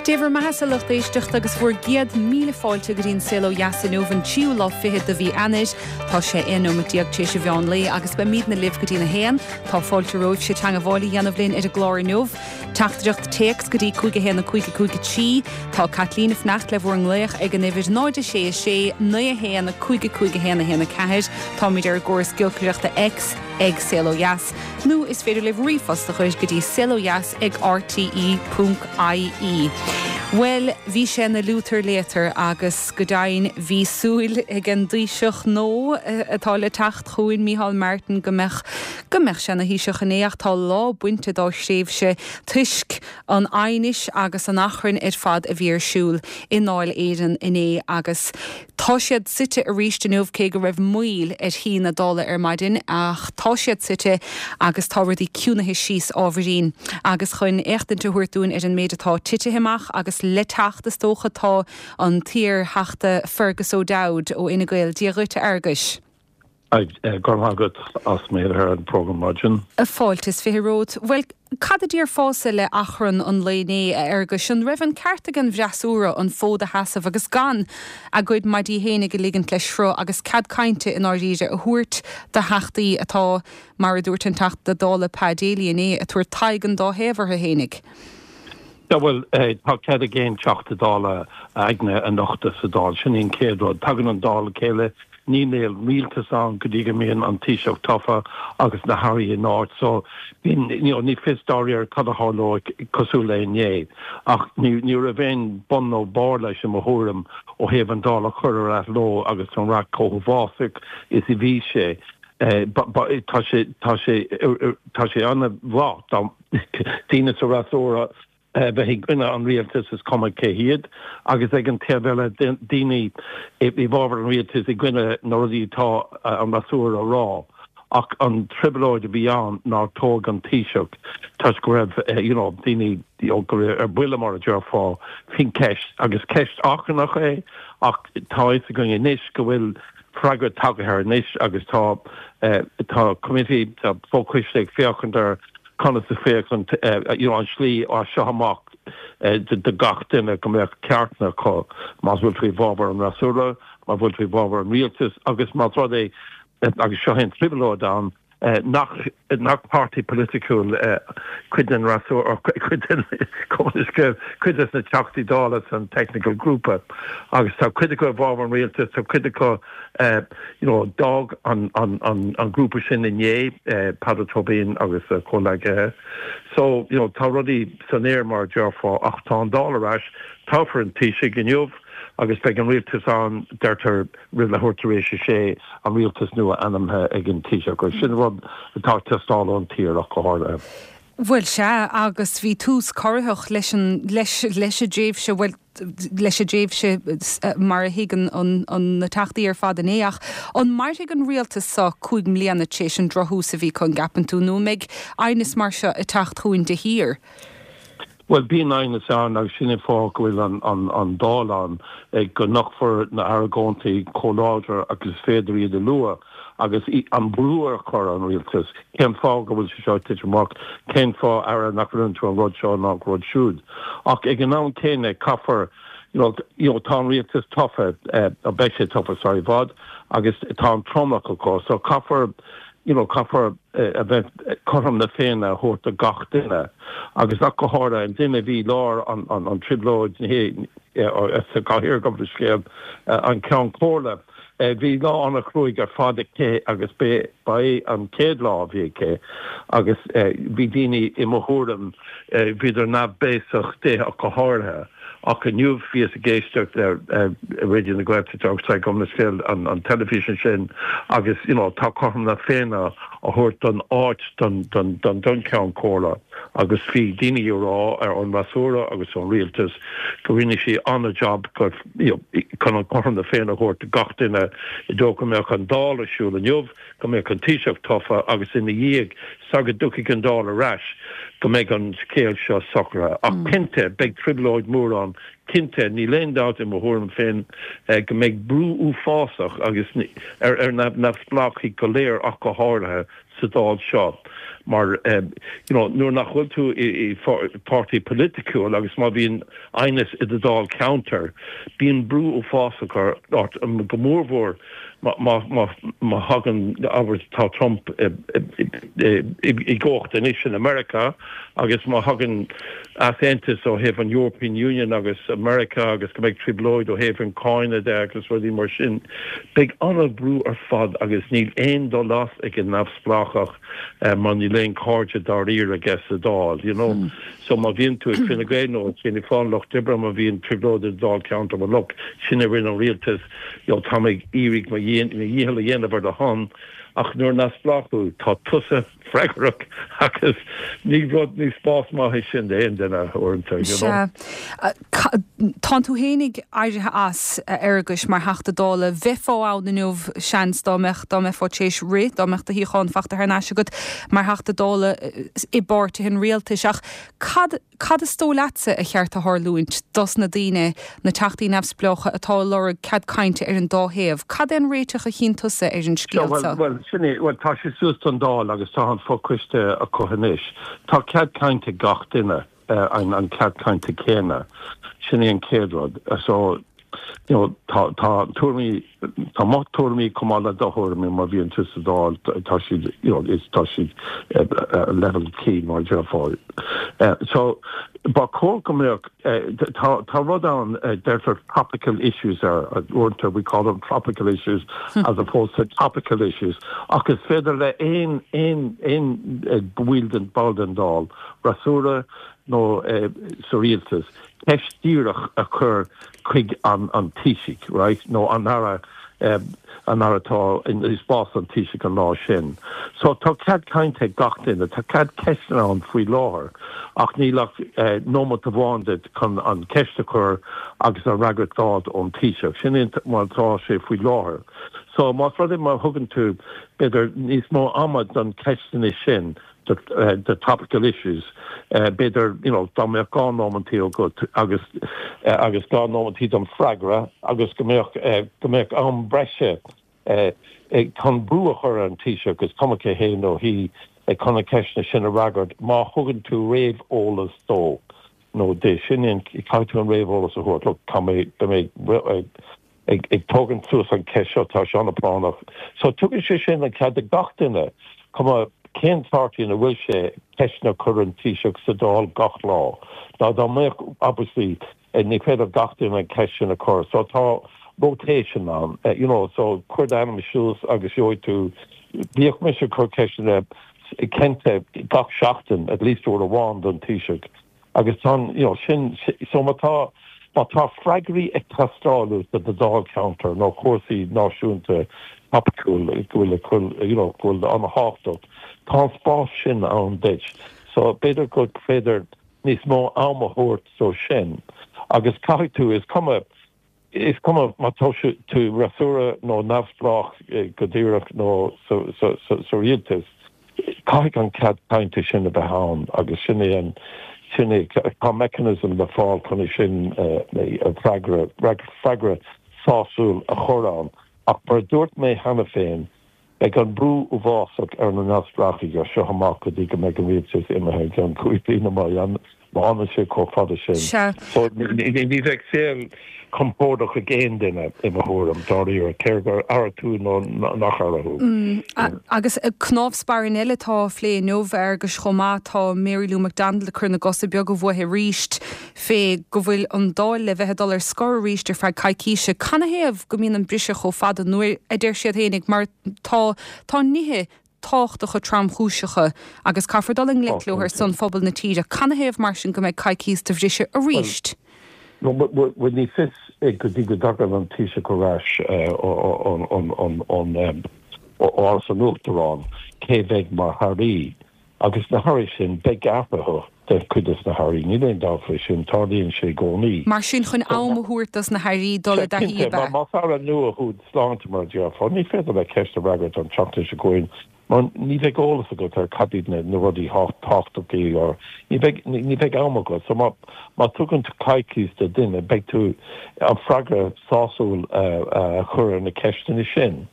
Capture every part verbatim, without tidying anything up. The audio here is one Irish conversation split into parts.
Dé bhur mbeatha, a lucht éisteachta, agus bhur gcéad míle fáilte go dtí an Saol Ó Dheas inniu, an tríú lá fichead de mhí Eanáir. Tá sé aon nóiméad déag tar éis an mheán lae agus beimidne libh go dtí'n a haon. Tá fáilte romhaibhse teagmháil a dhéanamh linn ar an gclár inniu. Teachtaireacht téacs go dtí cúig a haon a cúig a cúig a trí. Tá Caitlín ag fanacht le bhur nglaoch ag an uimhir náid a sé a sé naoi a haon a cúig a cúig a haon a haon a ceathair. Táimid ar an gcóras giolcaireachta X ag Saol Ó Dheas. Nó is féidir libh ríomhphost a chur go dtí saolodheas ag R T E ponc I E. Well, bhí sé ina liútar léatar agus go deimhin bhí súil ag an dTaoiseach nua atá le teacht chugainn, Micheál Martin, go mbeadh go mbeadh sé ina Thaoiseach inné, ach tá lá bainte dá thréimhse toisc an aighnis agus an achrann ar fad a bhí ar siúl i nDáil Éireann inné. Agus tá siad suite arís inniu, cé go raibh moill ar shuí na Dála ar maidin, ach tá siad suite agus tá rudaí ciúnaithe síos ábhairín. Agus chun éachtaint a thabhairt dúinn ar an méid atá tite amach agus le teacht, is dócha, tá an t-iarTheachta Fergus O'Dowd ó Fhine Gael. Dia dhuit, a Fhearghuis. Go raibh maith agat as mé ar an program maidin. Fáilte is fiche romhat. Well, cad a déarfása le achrann an lae inné, a Fhearghuis? An raibh an ceart ag an bhfreasúra an fód a sheasamh agus gan a gcuid maidí féinig a ligint le sruth agus cead cainte i ndáiríre a thabhairt do theachtaí atá, mar a dúirt an Teachta Dála Pa Daly inné, ag tabhairt taghaidh an dá thaobh orthu fhéinig? Ja, well, eh, tá cead ag aon Teachta Dála a aigne a nochtadh sa Dáil. Sin an chéad rud. Tagann an Dáil le chéile, níl rialtas ann go dtí go mbíonn an Taoiseach tofa agus na hairí in áit, so bíonn you know, ní fios dáiríre cad a tharlóidh cosúil le inné, ach ní ní raibh aon bun nó barr leis, i mo thuairim, ó thaobh an Dáil a chur ar athló agus an raic chomh huafásach is a bhí sé. Eh, tá sé tá sé tá sé an-mhaith daoine sa fhreasúra bheith i gcoinne an rialtas, is cuma cé hiad, agus ag an taobh eile daoine i bhfabhar an rialtas i gcoinne na rudaí atá an fhreasúra a rá. Ach an trioblóid a bhí ann nár toghadh an Taoiseach toisc go raibh you know, daoine go raibh ar buile, mar a déarfá, faoin ceist, agus ceist achrannach é. Ach tá fhios againn anois go bhfuil freagra tagtha air anois agus tá tá committee, tá fochoiste ag féachaint ar conas a féachan you know, an slí as seo amach de gach duine go mbeadh ceartanna acu, más bhfuil tú i bhfabhar an fhreasúra, má bhfuil tú i bhfabhar an rialtas, agus más rud é, agus seo an trioblóid ann, nach nach páirtí polaitiúil cuid den fhreasúra, cuid den cuid des na Teachtaí Dála san technical grúpa, agus tá cuid acu i bhfabhar an rialtas, tá cuid acu you know, d'fhág an, an, an, an grúpa sin inné, Peadar Tóibín agus comhleacaithe. So you know, tá rudaí san aer, mar a déarfá, ach tá an Dáil ar ais, toghfar an Taoiseach inniu agus beidh an rialtas ann, deirtear, roimh leathuair tar éis a sé, an rialtas nua ainmnithe ag an Taoiseach. Sin rud atá teastáil ón tír ach go háirithe. Bhuel, sea, agus bhí tús corraitheach leis an leis leis an dtréimhse, bhuel, leis an dtréimhse mar a thuigeann an an na teachtaí ar fad inné. Ach an mairfidh an rialtas seo cúig mbliana tar éis an drochthús a bhí acu, an gceapann tú, nó mbeidh aighneas mar seo ag teacht chugainn de shíor? Well, bíonn aighneas ann, agus sin an fáth go bhfuil an, an, an Dáil ann, go nochtfar na hargóintí chomh láidir agus is féidir iad a lua agus an brú a chur an rialtas, cén fáth go bhfuil sé seo tite amach, cén fáth, Aire, nach rinne tú an rud seo ná rud siúd. Ach ag an am céanna caithfear you know, you know, tá an rialtas tofa, uh, beidh sé tofa sar i bhfad, agus tá an tromlach acu, so caithfear you know, caithfear uh, a bheith cothrom na Féinne a thabhairt do gach duine, agus ach go háirithe an duine bhí lár an, an, an trioblóid sa chathaoir, gabh mo leithscéal, an Ceann Comhairle. Bhí lá an-chruaidh ar fad aici agus ba é an chéad lá a bhí aici agus bhí daoine, i mo thuairim, bhíodar neamhbhéasach di ach go háirithe. Ach inniu bhíos ag éisteacht le Raidió na Gaeltachta agus, gabh mo leithscéal, an, an teilifís sin, agus you know, tá cothrom na Féinne á thabhairt don áit don, don, don, don Cheann Comhairle, agus bhí daoine ag rá ar an bhfreasúra agus an rialtas go rinne sí an-job go you know, chun an cothrom na Féinne a thabhairt do gach duine i dtreo go mbeadh an Dáil ar siúl inniu, go mbeadh an Taoiseach tofa, agus ina dhiaidh sa go dtiocfaidh an Dáil ar ais go mbeidh an scéal seo socraithe. Ach cinnte beidh trioblóid mór ann, cinnte, níl aon dabht i mo thuairim féin go mbeidh brú uafásach agus ar ar neamhspleáchaigh go léir ach go háirithe sa Dáil seo mar you know, nuair nach bhfuil tú i, i páirtí polaitiúil agus má bhíonn aighneas i do Dáilcheantar, bíonn brú uafásach ort go mórmhór má thagann ábhar tá Trump i gcumhacht anois in America agus má thagann easaontas ó thaobh an European Union agus America agus go mbeidh trioblóid ó thaobh an cáin de agus rudaí mar sin. Beidh an-bhrú ar fad agus níl aon dul as ag an neamhspleáchach mar níl aon cairde dáiríre aige sa Dáil, you know. Mm. So má bhíonn tú ag Fine Gael nó Fianna Fáil Lucht Oibre má bhíonn trioblóid i Dáilcheantar mar look sin a rinne an rialtas you know, tá ag iarraidh mo dhícheall a dhéanamh ar do shon ach nuair neamhspleách thú tá tusa freagrach agus ní rud ní spás maith sin d'aon duine uaireanta. Tá tú féinig éirithe as Fhearghuis mar Theachta Dála bheifeá ann inniu seans dá mbeadh dá mbeifeá tar éis rith dá mbeadh do shuíochán fachta thar n-ais agat mar Theachta Dála i bpáirtí an rialtais ach cad cad is dóigh leatsa a cheart a tharlúint dos na daoine na teachtaí neamhspleácha atá lorg cead cainte ar an dá thaobh. Cad é an réiteach a chíonn tusa ar an scéal Well sin well tá sé suas don Dáil agus tá an fochoiste acu anois. Tá cead cainte gach duine uh, an, an cead cainte céanna. Sin é an chéad rud. So you know, tá tá tuairimí tá mo thuairimí chomh maith le do thuairimí mar bhíonn tú sa Dáil tá siad you know, is tá siad uh, uh, level cé mar déarfá. Uh, so ba chóir go mbeadh uh, tá tá rud ann uh, deirtear topical issues ar uaireanta we call them tropical issues hmm. as opposed to topical issues ach is féidir le aon aon aon uh, bhfuil den ball den Dáil freasúra nó uh, sa rialtas ceist díreach a chur chuig an an Taoiseach right nó an aire um, an aire atá in spás an Taoiseach an lá sin. So tá cead cainte gach duine, tá cead ceisteanna ann faoi láthair ach níl ach uh, nóiméad amháin duit chun an ceist a chur agus an fhreagra a fháil ón Taoiseach. Sin mar tá sé faoi láthair. So más rud má thugann tú b'fhéidir níos mó ama don ceisteanna sin the, uh, the topical issues uh, b'fhéidir you know dá mbeadh dhá nóiméad agat agus uh, agus dhá nóiméad don freagra agus go mbeadh uh, go mbeadh am breise uh, chun brú a chur an Taoiseach agus cuma cé hé nó hí chun na ceisteanna sin a fhreagairt má thugann tú réamheolas dó nó de sin caithfidh tú an réamheolas a thabhairt tá mé ag ag tógaint suas an cheist seo tá sé an-phráinneach. So tugann sé sin an cead ag gach duine cuma cén páirtí ina bhfuil sé ceisteanna a chur an Taoiseach sa Dáil gach lá. Ná dá mbeadh obviously ní féidir gach duine an ceist sin a chur, so tá rotation ann uh, you know, so cuir d'ainm suas agus gheobhaidh tú bhíodh mise ag cur ceisteanna cinnte gach seachtain at least uair amháin don Taoiseach. Agus tá you know, sin so má tá má tá freagraí ag teastáil do do Dáilcheantar nó cúrsaí náisiúnta topicúil go bhfuil you know, go bhfuil an-tábhachtach. Tá spás sin ann duit. So b'fhéidir go féidir níos mó am a thabhairt dó sin. Agus caithfidh tú is cuma is cuma má tá tú freasúra nó neamhspleách eh, go díreach nó sa rialtas. Caithfidh an cead cainte sin a bheith ann agus sin é an sin é tá mechanism le fáil chun sin eh, freagra freagra sásúil a chur ann ach mar dúirt mé cheana féin beidh an brú uafásach ar na neamhspleáchaigh seo amach go dtí go mbeidh an rialtas imithe gan cúig bliana má má fhanann sé chomh fada sin. So ní bheidh saol compordach ag aon duine i mo thuairim dáiríre cé gur aire tú nó nach aire thú. Mm, agus cnámh spairne eile atá á phlé inniu agus chomh maith tá Mary Lou McDonald ag cur na gcosa beaga uaithi arís fé go bhfuil an Dáil le bheith dul ar scor arís ar feadh coicíse. Canathaobh go mbíonn an briseadh chomh fada nuair a deir siad féinig mar tá tá nithe tábhachtacha tromchúiseacha agus caithfear dul i ngleic leo ar son phobal na tíre. Canathaobh mar sin go mbeidh coicís de bhriseadh arís. Well ní fios go dtí go dtagann an Taoiseach ar ais ón Áras an Uachtaráin cé bheidh mar airí agus na hairí sin beidh athruithe de chuid de na hairí níl aon dabht faoi sin tarlaíonn sé i gcónaí. Mar sin chun am a thabhairt dos na hairí dul i dtaithí. Más aire nua thú sláinte mar déarfá, ní féidir le ceist a fhreagairt an tseachtain seo chugainn mar ní bheidh eolas agat ar cad iad na na rudaí tábhachtacha or ní bheidh ní bheidh am agat so má má tugann tú coicís do duine beidh tú an freagra sásúil a chur ar na ceisteanna sin.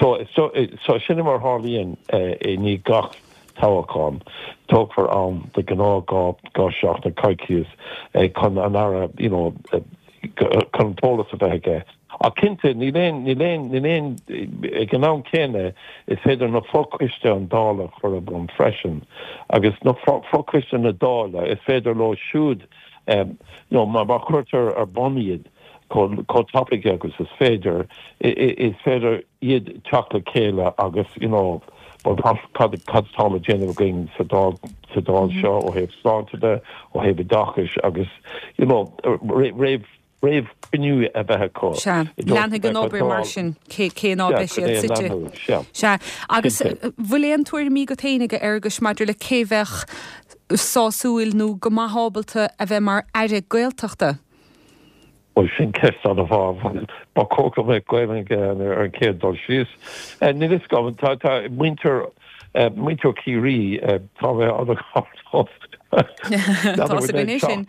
So, so, so sin mar tharlaíonn i ndiaidh gach toghchán. Tógfar am de ghnáth dhá dhá seachtain coicíos chun an Aire you know, chun an t-eolas a bheith aige. Ach cinnte níl aon níl aon níl aon ag an am céanna is féidir na fochoiste an Dála a chur ar bun freisin agus na fochoiste na Dála is féidir leo siúd um, you know, má chuirtear ar bun iad chomh tapaidh agus is féidir is féidir iad teacht le chéile agus you know, well, cad cad tá le déanamh againn sa Dáil sa Dáil seo ó thaobh sláinte de ó thaobh oideachais agus you know, réamh réamhchruinniú a bheith acu. Sea, leanfaidh an obair mar sin cé cé ná beidh siad suite. Sea, agus bhfuil aon tuairimí agat féinig a Fhearghuis maidir le cé bheadh sásúil nó go maith ábalta a bheith mar Aire Gaeltachta? Bhuel sin ceist an-mhaith ba chóir go mbeadh Gaeilge ar an chéad dul síos. Níl fhios agam tá tá muintir muintir Chiarraí tá mé sin.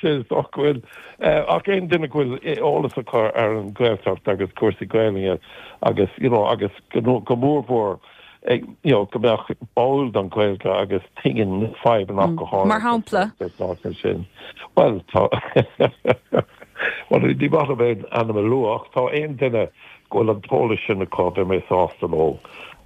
sin bhfuil ach aon duine go bhfuil eolas acu ar an Ghaeltacht agus cúrsaí Gaeilge agus you know, agus go go mórmhór you know, go mbeadh báúil don Ghaeilge agus tuigeann na fadhbanna mm. go háirithe. Mar shampla? sin. Well tá Well ní maith liom aon ainm a lua ach tá aon duine go bhfuil an t-eolas sin acu bheidh mé sásta leo.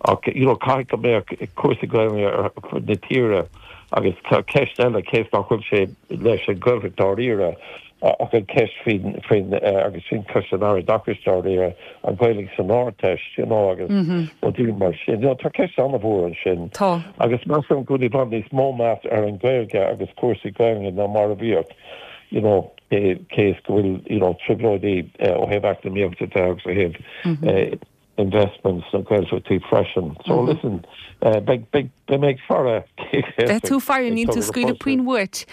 Ach you know, caithfidh go mbeadh cúrsaí Gaeilge ar fud na tíre agus tá ceist eile cé nach bhfuil sé leis an Ghaeltacht dáiríre ach an ceist faoin faoin agus sin ceist an Aire Oideachais dáiríre an Ghaeilge san Ardteist you know, agus rudaí mar sin. You know, tá ceist an-mhór ansin. Tá. Agus measaim go bhfuil i bhfad níos mó meas ar an Ghaeilge agus cúrsaí Gaeilge ná mar a bhíodh. You know, cé cé is go bhfuil you know, trioblóidí ó thaobh eacnamaíochta de agus ó thaobh investments na Gaeltachtaí freisin. So mm -hmm. listen, uh, beidh beidh beidh mé ag faire Beidh tú faire níl tú scaoileadh puinn uait.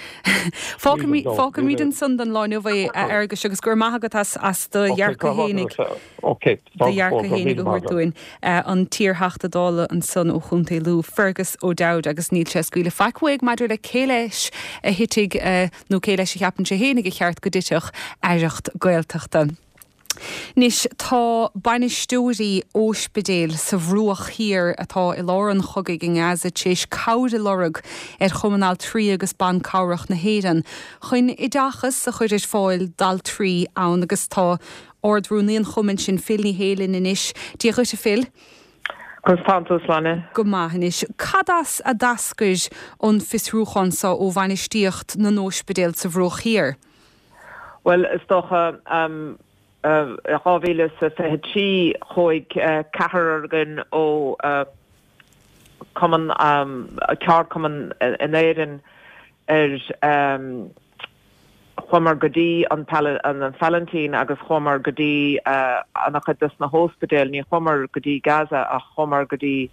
Fágfaimid ansan don lá inniu é a Fhearghuis agus go raibh maith agat as as do dhearcadh fhéinig do dhearcadh fhéinig a thabhairt dúinn an t-iarTheachta Dála ansan ó Chontae Lú Fergus O'Dowd agus níl sé ag scaoileadh faic uaidh maidir le cé leis a thitfidh nó cé leis a cheapann sé fhéinig a cheart go dtitfeadh aireacht Gaeltachta. Anois tá bainisteoirí óispidéil sa Bhruach Thiar atá i lár an chogaidh i nGaza tar éis cabhair a lorg ar Chumann Altraí agus Ban Cabhrach na hÉireann chun oideachas a chur ar fáil d'altraí ann agus tá Ard-Rúnaí an chumainn sin Phil Ní Sheaghdha linn anois. Dia dhuit a Phil. Conas tánn tú Sláine. Go maith anois. Cad as a d'eascair an fiosrúchán seo ó bhainistíocht na n-óispidéal sa Bhruach Thiar? Well is dócha um, dhá mhíle is fiche trí chuaigh ceathrar againn ó cumann ceardchumann in Éirinn ar chuamar go dtí an an Phalaistín agus chuamar go dtí an-chuid des na hospidéil ní chuamar go dtí Gaza ach chuamar go dtí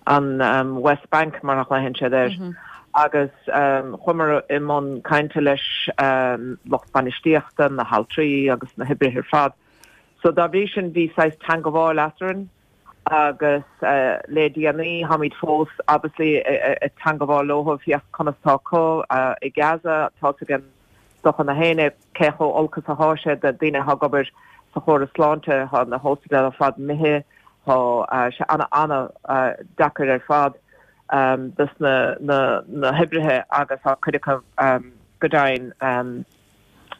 an West Bank mar a ghlaonn siad air. Mm -hmm. agus um, chuamar i mbun cainte leis um, lucht bainistíochta na haltraí agus na hoibrithe ar fad. So dá bhrí sin bhí saghas teagmháil eadrainn agus uh, le déanaí táimid fós obviously ag teagmháil leo féach conas tá acu uh, i Gaza tá an docha na héine cé chomh holc is atá sé do daoine ag obair sa chóras sláinte tá na hospidéil ar fad imithe tá uh, sé ana ana uh, deacair ar fad um, dus na, na, na hoibrithe agus tá cuid acu um, go deimhin um,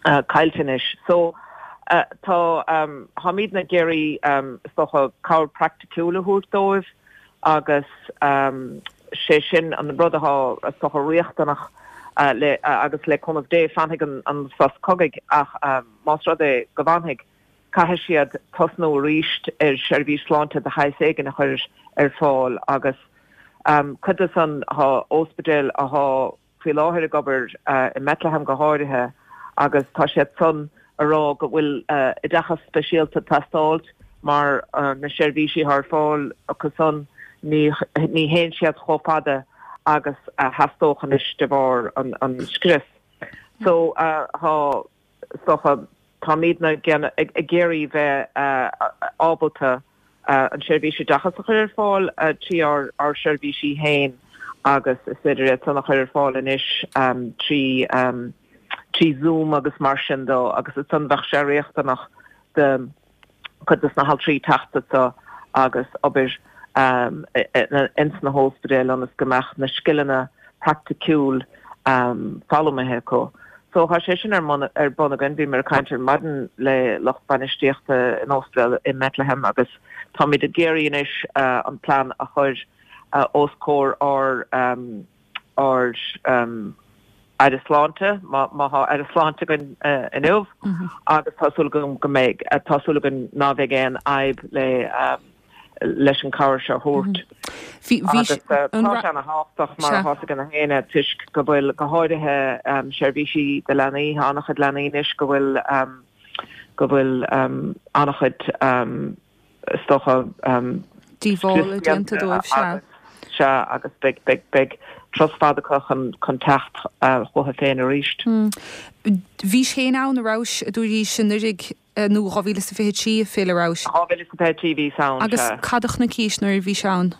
uh, caillte anois. So uh, tá um, táimid ag iarraidh um, is cabhair praiticiúil a thabhairt dóibh agus um, sé sin an rud atá is riachtanach uh, le, uh, agus le cúnamh Dé fanfaidh an, an sos cogaidh ach um, más rud é go bhfanfaidh caithfidh siad tosnú arís ar seirbhís sláinte de shaghas éigin a chur ar fáil agus um, cuid des na hospidéil atá faoi láthair ag obair uh, i mBethlehem go háirithe agus tá siad san ag rá go bhfuil uh, oideachas speisialta ag teastáil mar uh, na seirbhísí ar fáil acu san ní ní théann siad chomh fada agus uh, theastódh anois de bharr an, an scrios. So uh, tá so, táimid ag iarraidh bheith uh, ábalta uh, an seirbhís oideachas a chur ar fáil uh, trí ár ár seirbhísí féin agus is féidir é san a chur ar fáil anois um, trí um, trí Zoom agus mar sin dó agus is san bheadh sé riachtanach de chuid des na haltraí teacht so agus obair um, ins na hóspidéil ionas go mbeadh na scileanna praiticiúil um, foghlamtha acu. So tá sé sin ar ar bun againn bhí mé ag caint ar maidin le lucht bainistíochta in ospidéal i mBethlehem agus táimid ag iarraidh anois uh, an plean a chur uh, os comhair ár um, ár um, Aire Sláinte má tá Aire Sláinte againn uh, inniu mm -hmm. agus tá súil agam go mbeidh uh, tá súil agam nach mbeidh aon fhadhb le um, leis an chabhair seo a thabhairt. Tá sé an-tábhachtach mar atá ag na héine toisc go bhfuil go háirithe um, seirbhísí de leanaí an-chuid leanaí anois go bhfuil um, go bhfuil um, an-chuid um, is dócha um, díobháil déanta dóibh sea. Sea agus beidh beidh beidh turas fada acu chun chun teacht uh, chucu féin arís. Mm. Bhís féin ann an rabhais a dúraís anuraidh nó dhá mhíle is a fiche trí Phil an rabhais. Dhá mhíle is a fiche trí bhíos ann. Agus cad a chonaicis nuair a bhís ann?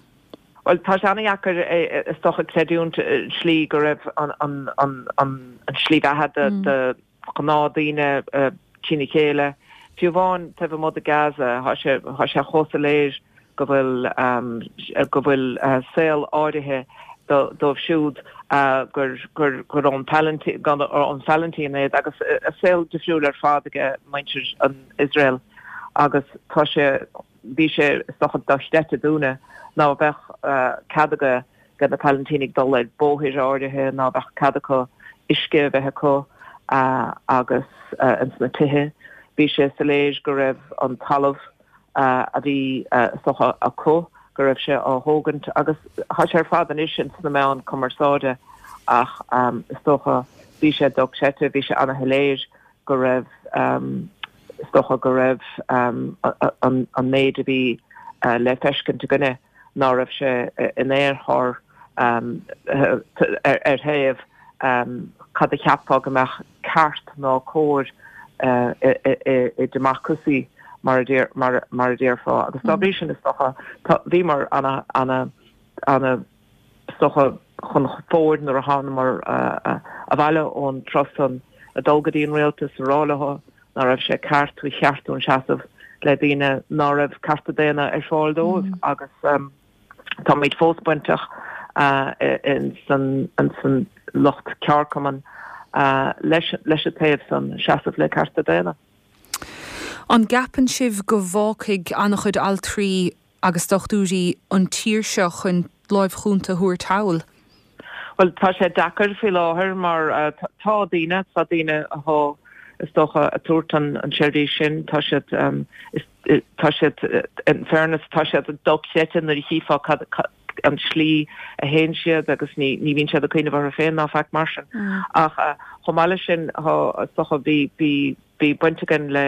Well tá sé an-deacair is dócha creidiúint slí go raibh an an an an an slí bheatha de mm. de ghnáthdhaoine trína chéile. Fiú amháin taobh amuigh de Gaza tá sé tá sé chomh soiléir go bhfuil um, go bhfuil uh, saol áirithe dóibh siúd uh, gur gur gur ón ón Phalaistín iad agus uh, saol difriúil ar fad ag muintir an Israel agus tá sé bhí sé is dócha dochreidte dúinne ná bheadh uh, cead ag na Palaistínigh dul ar bóithre áirithe ná bheadh cead acu uisce a bheith acu uh, agus uh, ins na tithe. Bhí sé soiléir go raibh an talamh uh, a bhí uh, is dócha acu go raibh sé á thógaint agus tá sé ar fad anois ins na meáin cumarsáide ach um, is dócha bhí sé dochreidte bhí sé an-shoiléir go raibh um, is dócha go raibh um, an, an méid a bhí uh, le feiscint againne ná raibh sé in aon chor um, ar, ar thaobh um, cad a cheapfá go mbeadh ceart ná cóir uh, i democracy mar mar mar a déarfá agus dá bhrí sin is dócha bhíomar ana ana ana is dócha chun fóid nuair a thángamar abhaile ón turas san a dul go dtí an rialtas a rá leo ná raibh sé ceart ba cheart dúinn seasamh le daoine ná raibh cearta daonna ar fáil dóibh mm. agus um, táimid fós bainteach uh, in san in san lucht ceardchumann uh, leis leis an taobh san seasamh le cearta daonna. An gceapann sibh go bhfágfaidh an-chuid altraí agus dochtúirí an tír seo chun láimh chúnta a thabhairt thall? Well tá sé deacair faoi láthair mar uh, tá daoine tá daoine atá is dócha ag tabhairt an an seirbhís sin tá siad um, is, tá siad in fairness tá siad dochreidte nuair a chífeá an slí a théann siad agus ní ní bhíonn siad ag cuimhneamh orthu féin ná faic mar sin mm. ach uh, chomh maith leis sin is dócha bhí bhí bhí baint againn le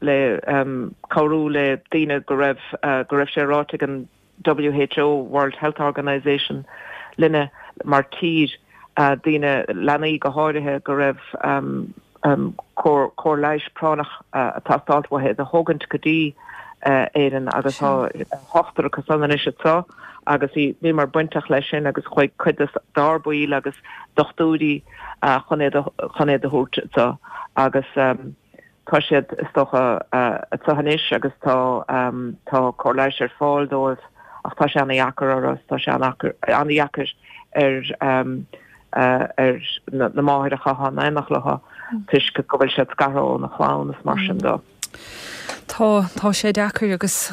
le um, cabhrú le daoine go raibh uh, go raibh sé ráite ag an WHO World Health Organization linne mar tír uh, daoine leanaí go háirithe go raibh um, um, cóir cóir leighis práinneach uh, ag teastáil uathu iad a thógaint go dtí uh, Éirinn agus tá ochtar acu san anois anseo agus bhíomar bainteach leis sin agus chuaigh cuid dár mbaill agus dochtúirí uh, chun iad chun iad a thabhairt anseo agus um, tá siad is dócha anseo anois agus tá um, tá cóir leighis ar fáil dóibh ach tá sé an-deacair orthu tá sé an-deacair ar um, uh, ar na, na máithreacha atá in éineacht leo mm. toisc go bhfuil siad scartha óna chlann is mar sin de. Tá tá sé deacair agus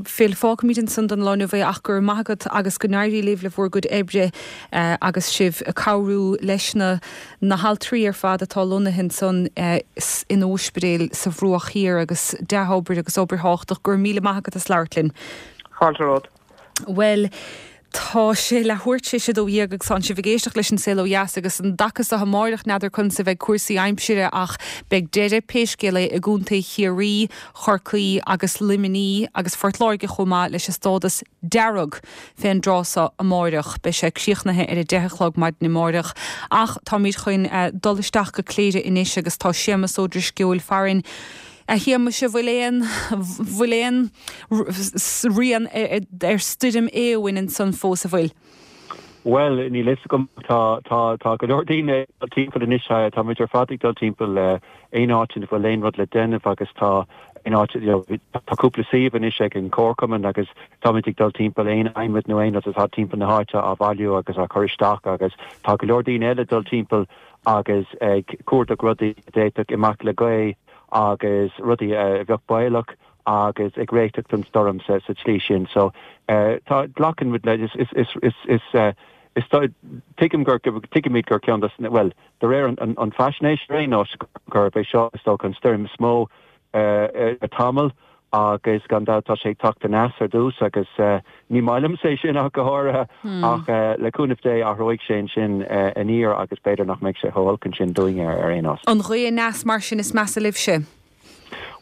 Phil fágfaimid ansan don lá inniu ach go raibh maith agat agus go n-éirí libh le bhur gcuid oibre eh, agus sibh ag cabhrú leis na na haltraí ar fad atá lonnaithe ansan eh, in ospidéal sa Bhruach Thiar agus dea-obair agus obair thábhachtach go raibh míle maith agat as labhairt linn. Fáilte romhat. Well, Tá sé leathuair tar éis a dó dhéag agus tá sibh ag éisteacht leis an Saol Ó Dheas agus an dtaca seo amárach n'fheadar conas a bheidh cúrsaí aimsire ach beidh deireadh pé scéal é i gContae Chiarraí, Chorcaí agus Luimnigh agus Phort Láirge chomh maith leis an stádas dearg fén dtráth seo amárach. Beidh sé críochnaithe ar a deich a chlog maidin amárach. Ach táimid chun eh, dul isteach go Cléire anois agus tá Séamus Ó Drisceoil farainn. A Shéamais an bhfuil aon bhfuil aon rian ar stoirm Éowyn ansan fós an bhfuil. Well níl a fhios agam tá tá tá go leor daoine timpeall anois tá muid ar fad ag dul timpeall le aon áit ina bhfuil aon rud le déanamh agus tá in áit you know, tá cúpla suíomh anois ag an comharchumann agus táimid ag dul timpeall aon adhmad nó aon rud atá timpeall na háite á bhailiú agus á chur isteach agus tá go leor daoine eile dul timpeall agus ag cuardach rudaí a d'fhéadfadh imeacht le gaoth agus rudaí a bheadh baolach agus ag réiteach don stoirm sa sa tslí sin so uh, tá glacann muid le is is is is is uh, is tuigim gur tuigimid gur ceann des well de réir an, an, an faisnéis ar aon nós gurb é seo is dócha an stoirm is mó uh, le tamall agus gan dabht tá sé ag teacht aneas ar dtús agus uh, ní maith liom é sin ach go háirithe hmm. ach uh, le cúnamh Dé athróidh sé sin uh, aniar agus b'fhéidir nach mbeidh sé chomh holc sin dúinn ar ar aon nós. An ghaoth aneas mar sin is measa libhse.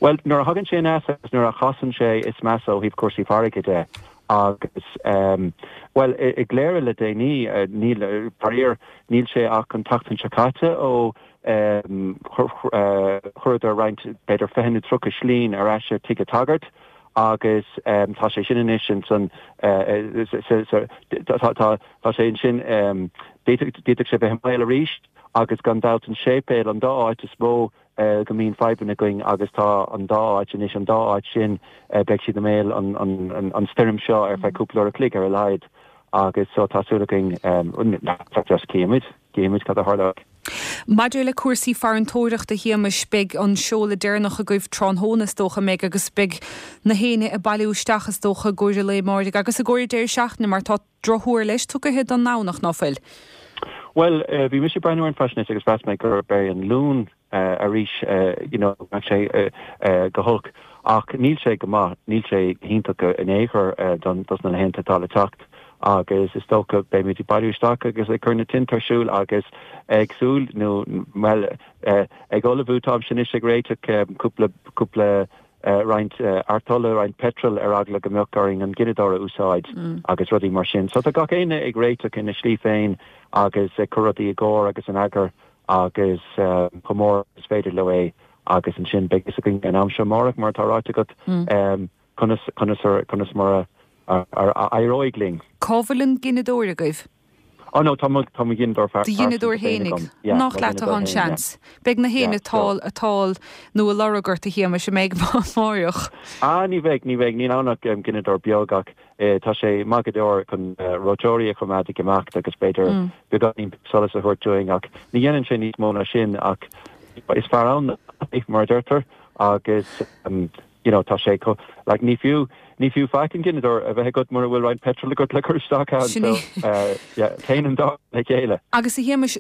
Well nuair a thagann sé aneas agus nuair a chasann sé is measa ó thaobh cúrsaí farraige de agus um, well i, i gCléire le déanaí uh, níl faraor níl sé ach an tseachtain seo caite ó um, chuireadar roinnt b'fhéidir fiche nó tríocha slín ar ais ar tigh an tsagairt agus um, tá sé sin anois san tá sé sin um, d'fhéadfadh sé bheith i mbaol arís agus gan dabht an séipéal an dá áit is mó uh, go mbíonn fadhbanna againn agus tá an dá áit anois an dá áit sin uh, beidh siad i mbéal an, an, an, an stoirm seo ar feadh cúpla uair a chloig ar a laghad agus so tá súil againn um, just címid címid cad a tharlóidh. Maidir le cúrsaí farantóireachta a Shéamais beidh an seoladh deireanach agaibh tráthnóna is dócha mbeidh agus beidh na héinne ag bailiú isteach is dócha i gcomhair an lae amárach agus i gcomhair deireadh seachtaine mar tá drochthuar leis tugtha don nDomhnach ná fuil. Well uh, bhí mise ag breathnú ar an faisnéis agus mheas mé gurb é an Luan uh, arís uh, you know, sé uh, uh, go holc ach níl sé go maith níl sé iontach in aon chor uh, don dos na laethanta atá le teacht agus is dócha beimid ag bailiú isteach agus ag cur na tinte ar siúl agus ag súil nó well uh, ag ullmhú tá sin ag réiteach um, cúpla cúpla uh, roinnt uh, artola roinnt petrol ar eagla go mbeadh orainn an gineadóir a úsáid mm. agus rudaí mar sin. So tá gach éinne ag réiteach ina slí féin agus ag cur rudaí i gcóir agus in eagar agus uh, chomh mór is féidir leo é agus ansin beidh a fhios againn an am seo amárach mar tá ráite agat mm. um, conas conas conas mar a éireoidh linn. Cá bhfuil an gineadóir agaibh? Oh no tá tá gineadóir Do ghineadóir fhéinig nach leat an seans. Beidh na héinne atá atá nó a lorg ort a Shéamais a mbeidh amárach. Ah ní bheidh ní bheidh níl ann ach um, gineadóir beag ach eh, tá sé maith go leor chun uh, reoiteoirí a choimeád ag imeacht agus b'fhéidir mm. beagáinín solas a thabhairt dúinn ach ní dhéanann sé níos mó ná sin ach is fearr ann mar deirtear agus um, you know tá sé co like ní fiú ní fiú faic an gineadóir a bheith agat mura bhfuil roinnt petrol agat le cur isteach ann so uh, yeah, téann an dá le chéile. Agus a Shéamais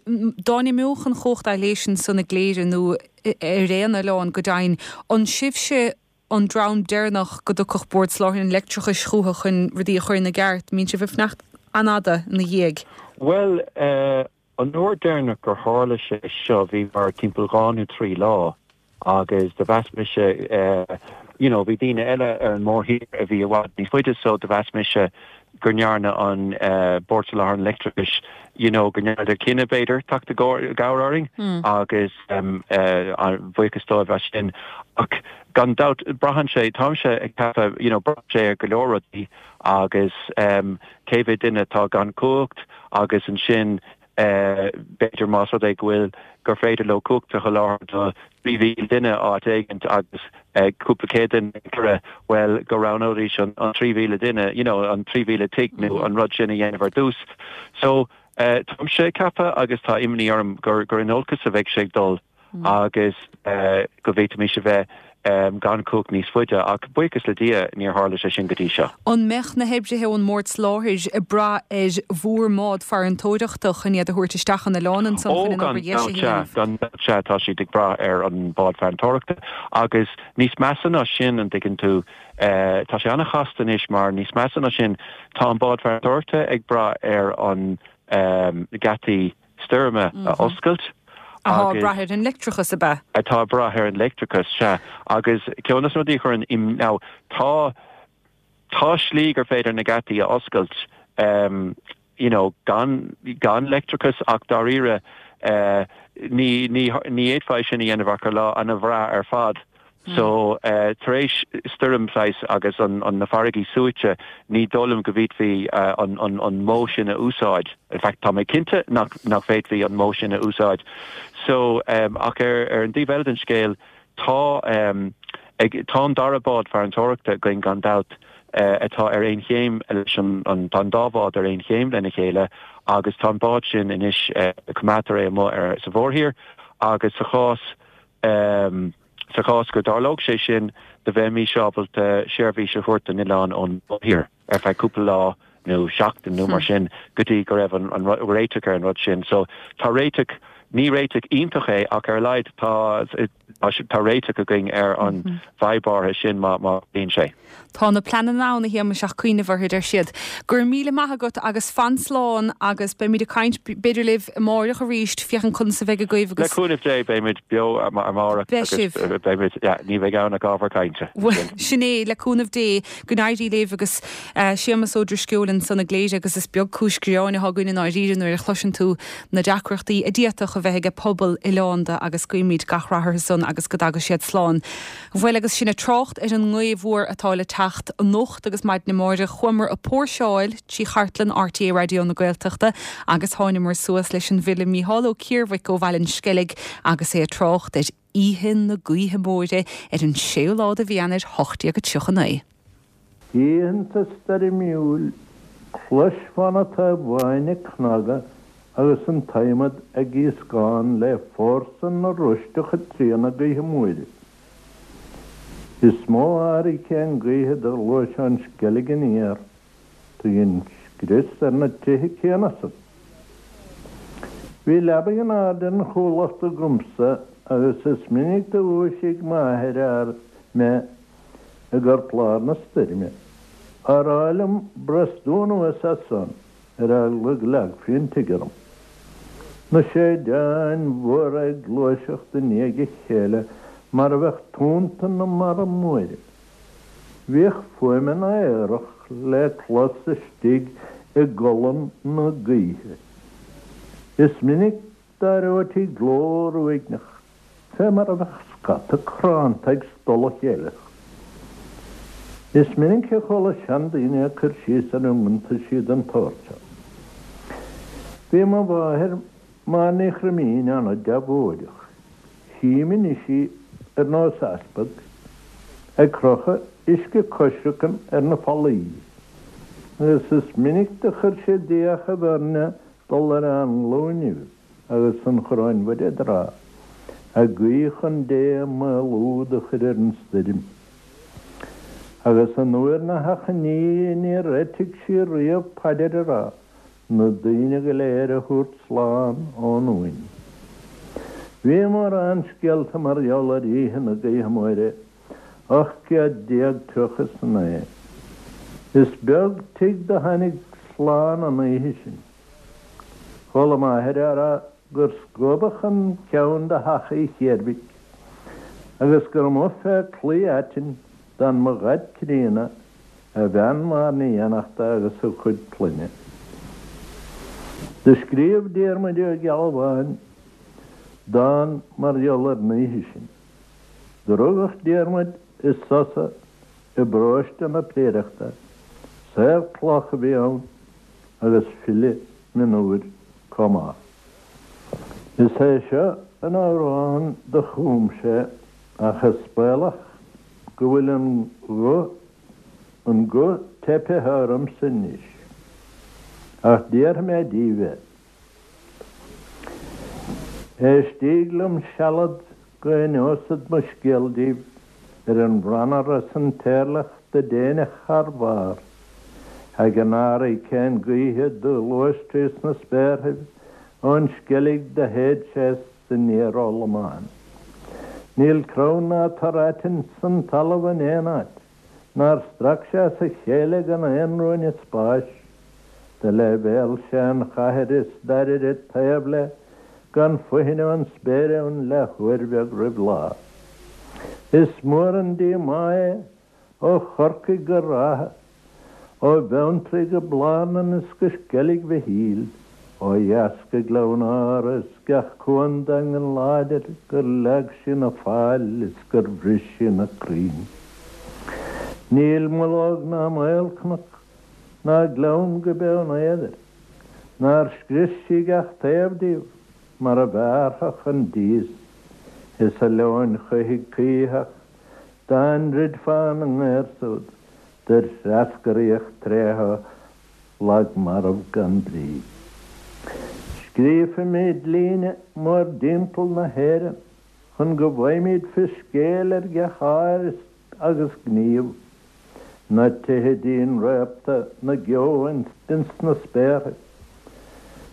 dá n-imeodh an chumhacht leis ansan i gCléire nó ar aon oileán go deimhin an sibhse an dream deireanach go dtiocfadh Bord Soláthair an Leictreachais chucu chun rudaí a chur ina gceart, mbíonn sibh ag fanacht an-fhada ina dhiaidh. Well uh, an uair deireanach gur tharla sé seo bhí mar timpeall dhá nó trí lá agus do mheas mise uh, you know, bhí daoine eile ar an mórthír a bhí i bhfad níos faide so do mheas mise go ndearna an uh, Bord Soláthair an Leictreachais you know, go ndearnadar cinneadh b'fhéidir teacht i gcabhair orainn mm. agus um, uh, an buíochas dóibh as sin ach gan dabht braitheann sé táimse ag ceapadh you know, braitheann sé ar go leor rudaí agus um, cé mhéad duine atá gan cumhacht agus ansin uh, b'fhéidir más rud é go bhfuil gur féidir leo cumhacht a sholáthar do trí mhíle duine áit éigin agus uh, cúpla céad duine cure well go roghnóidís an, an trí mhíle duine you know, an trí mhíle tigh nó mm. an rud sin a dhéanamh ar dtús. So uh, táimse ag ceapadh agus tá imní orm gur gur in olcas a bheidh sé ag dul mm. agus uh, go bhféadfaimis a bheith um, gan cumhacht níos faide ach buíochas le Dia níor tharla sé sin go dtí seo. An mbeadh na hoibrithe ón mBord Soláthair ag brath ar bhur mbád farantóireachta chun iad a thabhairt isteach an oileán ansan chun an obair dheise a dhéanamh? Gan sea tá siad ag brath ar an bád farantóireachta agus níos measa ná sin an dtuigeann tú uh, tá sé an-chasta anois mar níos measa ná sin tá an bád farantóireachta ag brath ar an um, geataí stoirme a oscailt. Atá ag brath ar an leictreachas ab ea? Atá ag brath ar an leictreachas, sea. Agus ceann de na rudaí a chuireann im, now, tá, tá slí gur féidir na geataí a oscailt, um, you know, gan, gan leictreachas ach dáiríre, uh, ní, ní, ní fhéadfá é sin a dhéanamh ach ar lá an-bhreá ar fad. So tar éis stoirm saghas agus an na farraigí suaite, ní dóigh liom go bhféadfaí an an modh sin a úsáid. In fact tá mé cinnte nach nach bhféadfaí an modh sin a úsáid. So ach ar ar an dtaobh eile den scéal tá Ag, tá an dara bád farantóireachta againn gan dabht atá ar aon chéim leis an, an, tá an dá bhád ar aon chéim lena chéile agus tá an bád sin anois, coimeádtar é amuigh ar, sa mhórthír agus sa chás, sa chás go dtarlódh sé sin do bheimís ábalta seirbhís a thabhairt don oileán ón mórthír ar feadh cúpla lá nó seachtain nó mar sin go dtí go raibh an, an réiteach ar an rud sin. So tá réiteach, ní réiteach iontach é ach ar a laghad tá, tá réiteach againn ar an bhfadhb áirithe sin má, má bhíonn sé. Tá na pleananna ann a Shéamais ach cuimhneamh orthu, deir siad. Go raibh míle maith agat agus fan slán agus beimid ag caint b'fhéidir libh amáireach arís féachaint conas a bheidh agaibh agus. Le cúnamh Dé beimid beo amárach Beidh agus sibh. beimid, yeah, ní bheidh ann ach ábhar cainte. Bhuel, sin é, le cúnamh Dé, go n-éirí libh agus Séamas Ó Drisceoil ansan i gCléire agus is beag cúis ghreann atá againn i ndáiríre nuair a chloiseann tú na deacrachtaí a d'fhéadfadh a bheith aige pobal oileánda agus guímid gach rath orthu san agus go dtaga siad slán. Bhuel agus sinn ag trácht ar an ngaoth mhór atá le teacht anocht agus maidin amáireach chuamar ag póirseáil trí chartlann RTÉ Raidió na Gaeltachta agus thánamar suas leis an bhfile Mícheál Ó Ciarmhaic ó Bhaile an Sceilg agus é ag trácht ar Oíche na Gaoithe Móire ar an séú lá de mhí Eanáir ocht déag tríocha naoi. Oícheanta stoirmiúil, chloisfeá na támháin ag cnagadh agus an t-adhmad ag gíoscán le fórsa na roisteacha tríona gaoithe móire. Is mó hairicín gaoithe do ghluais ón Sceilg aniar, do dhein scrios ar na tithe céanna san. Bhí leabaidh in airde an chuallacht agamsa agus is minic do dhúisigh m'athair mé i gcorplár na stoirme, á rá liom brostú anuas as san ar eagla go leagfaí an tigh orm. Na séideáin mhóra ag gluaiseacht i ndiaidh a chéile mar a bheadh tonnta na mara móire. Bhíodh fuaimeanna aorach le clos istigh i gcolann na gaoithe. Is minic d'aireoití glór uaigneach, fé mar a bheadh scata cránta ag stolladh a chéile. Is minic a chuala seandaoine ag cur síos ar iontaisí den tsórt seo. Bhí mo mháthair, Máire Ní Chroimín, an-deabhóideach. Chím anois í ar nós easpag, ag crochadh uisce coisricin ar na fallaí, agus is minic do chuir sí d'fhiachaibh orainne dul ar ár nglúinibh agus an Choróin Mhuire a rá, ag guí chun Dé maolú do chur ar an stoirm. Agus an uair na hachainí níor eitigh sí riamh paidir a rá, na daoine go léir a thabhairt slán ón uain. Bhí mórán scéalta mar gheall ar oíche na gaoithe móire, ocht gcéad déag tríocha is a naoi. Is beag tigh do tháinig slán an oíche sin. Chuala m'athair á rá gur scuabadh an ceann de theach Uí Chiarmhaic agus gur amuigh fé chlaí aitinn d'fhan mo dhaid críonna, a bhean Máire Ní Fhiannachta agus a chuid clainne. Do scríobh Diarmuid Ó Gealbháin dán mar gheall ar an oíche sin. Do rugadh Diarmuid i Sosa i bparóiste na Priaireachta, saor cloch a bhí ann agus file mionúir chomh maith. Is é seo an amhrán do chum sé ach is baolach go bhfuil an guth an guth teipthe ormsa anois. Ach déarfaidh mé díbh é. Éistíg liom sealad go n-inneosad mo scéal díbh ar an bhranar is an t-éirleach do déineadh thar barr ag an hairicín gaoithe do ghluais trés na spéarthaibh ón Sceilg do shéid sé aniar ó Lomán. Níl crann ná tor aitinn san talamh in aon áit nár strac sé as a chéile gan aon ruainne spáis. Do leibhéal sé an chathair is d'airid taobh lei gan fothain ón spéir ann le huair bheag roimh lá. Is mór an díomá é ó Chorcaigh go Ráth, ó Bheanntraí go Blarnan is go Sceilg Mhichíl, ó dheas go Gleann Átha is gach cuan daingean láidir gur leag sí na faill is gur bhris sí na crainn. Níl mullóg ná maolchnoc ná gleann go Beann Éadair nár scrios sí gach taobh díobh mar a bhearrfadh an dias is a leoin choimhthigh coimhthíoch Dá ndruidfeá na ngaor súd, dur threascraíodh tréithe lag marbh gan brí. Scríobfaimid líne mórdtimpeall na hÉireann chun go bhfaighimid fios scéil ar gach ár agus gníomh, na tithe dín réabta, na geo ins na spéartha,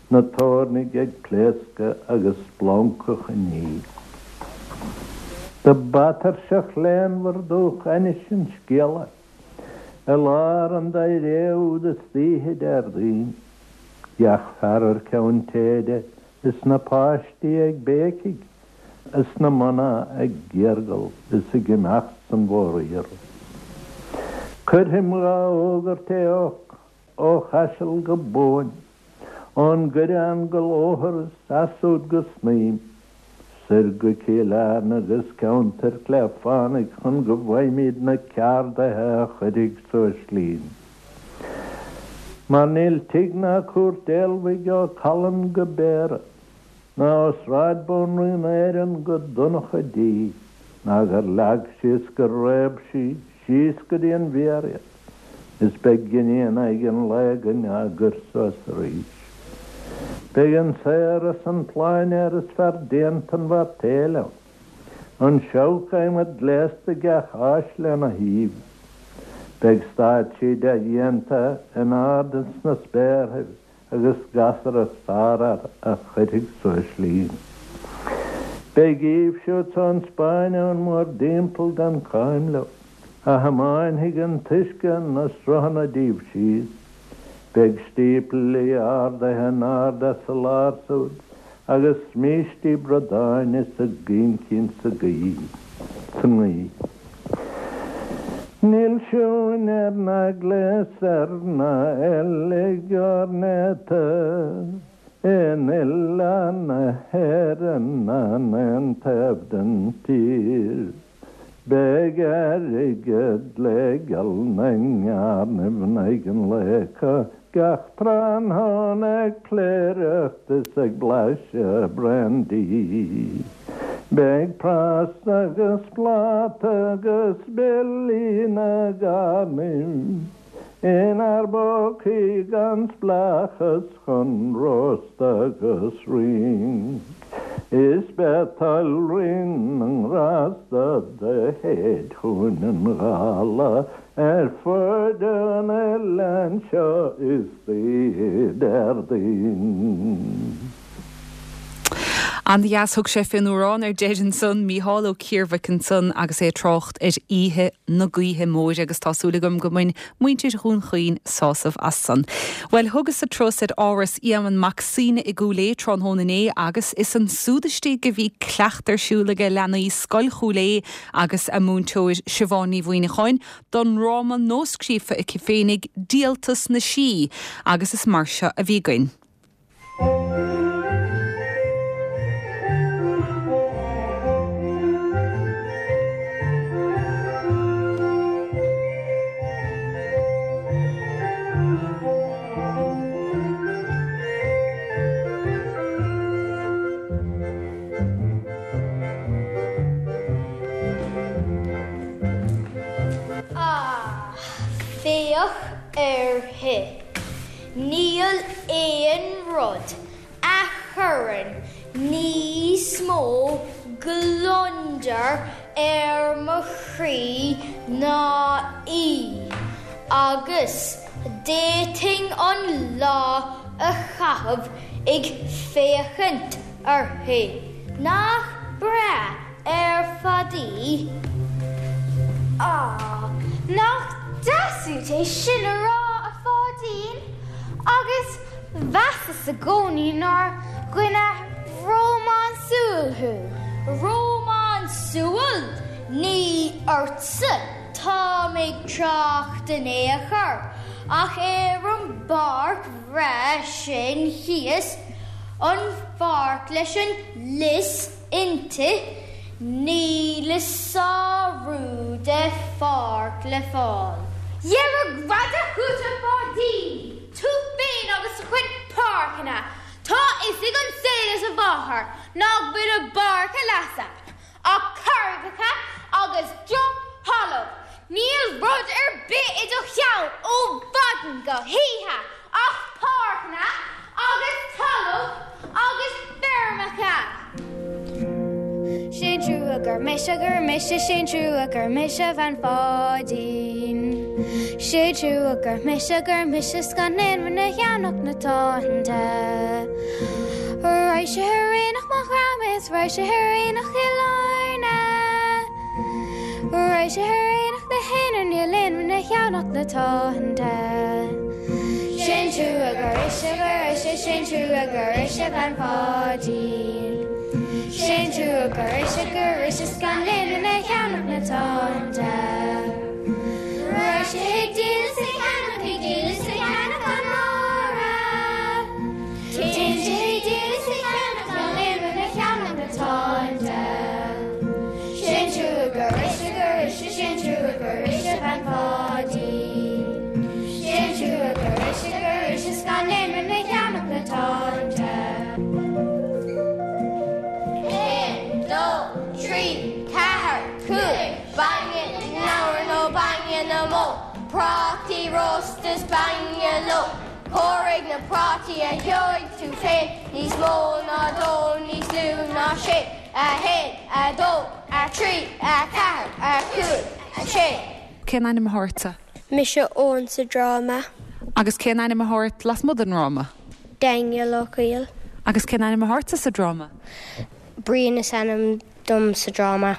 na toirnigh ag pléascadh agus splancach an ní. Do b'atuirseach léanmhar dúch ainnis an scéala i lár an dá ré úd istoíche Déardaoin, gach fear ar ceann téide is na páistí ag béicigh is na mná ag giergal is ag imeacht san mhóriarraidh. Cuirfim dhá fhógairt é ó Chaiseal go Bóinn, ón gCoireán go Lóthar is asúd go Snaidhm, soir go Cill Airne agus ceantar Shléibh Fánaidh chun go bhfaighimid na ceardaithe a chuirfidh suas linn. Mar níl tigh ná cúirt fholmhaigh ó Callainn go Béarra, ná ó Sráid Bhanríon Éireann go Donncha Dí, ná gur leag sí is gur réab sí síos go dtí an mhéar iad, is beidh giní in aghaidh an lae againn á gcur suas arís. Beidh an saor is an pláinéar is fear déanta an mhairtéil ann, an seabhac adhmaid gléasta gach áis lena thaobh. Beidh stáitsí dea-dhéanta in ard ins na spéarthaibh agus gasra sárfhear a chuirfidh suas linn. Beidh díobh siúd 's ón Spáinn ann mórdtimpeall gan cáim leo, a thiomáinfidh an t-uisce na sruthanna díobh síos. Beidh stíplí ardaithe in airde sa lár súd agus smístí bradáin is a gcoincín sa ngaoth. Níl siúinéir ná gléasair ná eilig ornaithe in oileán na hÉireann ná in aon taobh den tír. Beidh airgead le geall na ngearnaibh in aghaidh an lae acu gach tráthnóna ag pléireacht is ag blaiseadh brandy. Beidh prás agus pláta agus billí na gcarnaibh inár bpócaí gan spleáchas chun rost agus rinc. Is beidh toil Rí na nGrásta do shéid chugainn an ghála ar fud an oileáin seo istoíche Déardaoin. An-dheas thug sé fén amhrán ar deireadh ansan, Mícheál Ó Ciarmhaic ansan agus é ag trácht ar oíche na gaoithe móire agus tá súil agam go mbain muintir Dhún Chaoin sásamh as san. Bhuel thugas-sa turas ar Áras Éamonn Mac Suibhne i gCúil Aodha tráthnóna inné agus is ansúd istigh a bhí cleacht ar siúl ag leanaí Scoil Chúil Aodha agus a múinteoir Siobhán Ní Mhuineacháin don ndráma nuascríofa aici féinig Díoltas na Sí agus is mar seo a bhí againn. Ah, féach uirthi. Níl aon rud a chuireann níos mó gliondar ar mo chroí ná í, agus d'fhéadfainn an lá a chaitheamh ag féachaint uirthi. Nach breá ar fad í? Á, nach deas uait é sin a rá, a Pháidín! Agus mheasas i gcónaí nár dhuine rómánsúil thú. Rómánsúil? Ní ortsa táim ag trácht in aon chor, ach ar an bpáirc bhreá sin thíos, an pháirc leis an lios inti. Níl a sárú de pháirc le fáil. Dhera greadadh chugat, a Pháidín! Tú féin agus do chuid páirceanna! Tá a fhios ag an saol is a mháthair nach bhfuil i bPáirc a' Leasa ach carraigeacha agus droch-thalamh! thalamh. Níl rud ar bith i do cheann ó mhaidin go hoíche ach páirceanna agus talamh agus feirmeacha. Sé'n trua gur mise gur mise sé'n trua gur mise bhean Pháidín. Sé trua gur mise gur mise 's gan aon rud a cheannach na tonnta. Raghaidh sé ar aonach mo dhream is raghaidh sé ar aonach Chill Airne. Raghaidh sé ar aonach na hAonar níl aon rud a cheannach na tonnta. Sé'n trua gur mise gur mise sé'n trua gur mise bhean Pháidín. Sé'n trua gur mise gur mise 's gan aon rud a cheannach na tonnta. Raghaidh sé ag díol is ag ceannach ag díol is ag ceannach an Máire. Téann sé ag díol is ag ceannach gan aon rud a cheannach na tonnta. Sé'n trua gur mise gur mise sé'n trua gur mise bhean Pháidín. Sé'n trua gur mise gur mise 's gan aon rud a cheannach na tonnta. Haon, dó, trí, ceathair, cúig, bainne na ngabhar nó bainne na mbó, prátaí rósta is bainne leo. Comhair na prátaí a gheobhaidh tú féin níos mó ná dó níos lú ná sé, a haon, a dó, a trí, a ceathair, a cúig, a sé. Cén ainm atá ortsa? Mise Eoin sa dráma. Agus cén ainm atá ort lasmuigh den dráma? Daniel Ó Cuill. Agus cén ainm atá ortsa sa dráma? Brian is ainm dom sa dráma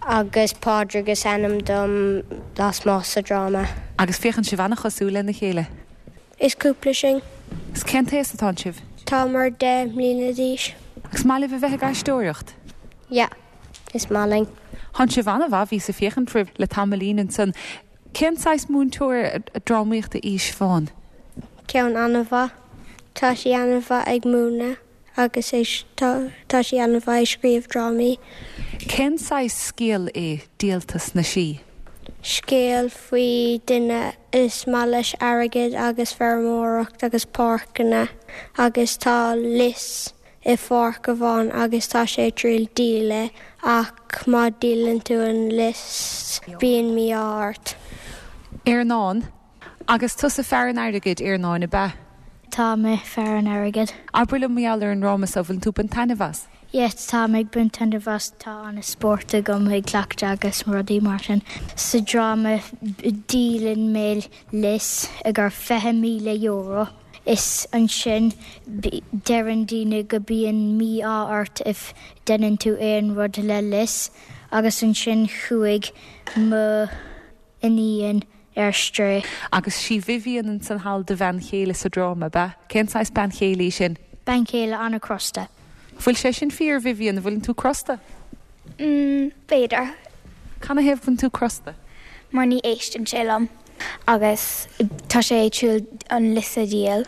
agus Pádraig is ainm dom lasmuigh sa dráma. Agus féachann sibh an-chosúil lena chéile. Is cúpla sin. Is cén t-aois atá sibh? Tá mar deich mbliana d'aois. Agus maith libh a bheith ag aisteoireacht? Yeah, is maith linn. Tá sibh an-mhaith bhíos ag féachaint oraibh le tamaillín ansan. Cén saghas múinteoir drámaíochta í Siobhán? Ceann an-mhaith. Tá sí an-mhaith ag múineadh agus tá tá sí an-mhaith ag scríobh drámaí. Cén saghas scéal é Díoltas na Sí? Scéal faoi duine is maith leis airgead agus feirmeoireacht agus páirceanna agus tá lios i pháirc amháin agus tá sé triail díol é ach má dhíolann tú an lios bíonn mí-ádh ort. Earnán, agus tusa fear an airgid Earnáin ab ea? Tá mé fear an airgid. Abair liom mar gheall ar an dráma seo bhfuil tú ag baint taitneamh as? Yes, tá mé ag baint taitneamh as tá an-spórt agam ag cleachtadh agus rudaí mar sin. Sa dráma díolann mé lios ag ar fiche míle euro. Is ansin deireann daoine go bíonn mí-ádh ort if déanann tú aon rud le lios agus ansin chuaigh mo iníon ar strae. Agus sí Vivian ansan thall do bhean chéile sa dráma ab ea? Cén saghas bean chéile í sin? Bean chéile an-chrosta. Bhfuil sé sin fíor Vivian, bhfuil tú crosta? Mm, b'fhéidir. Canathaobh bhfuil tú crosta? Mar ní éisteann sé liom agus tá sé triail an lios a dhíol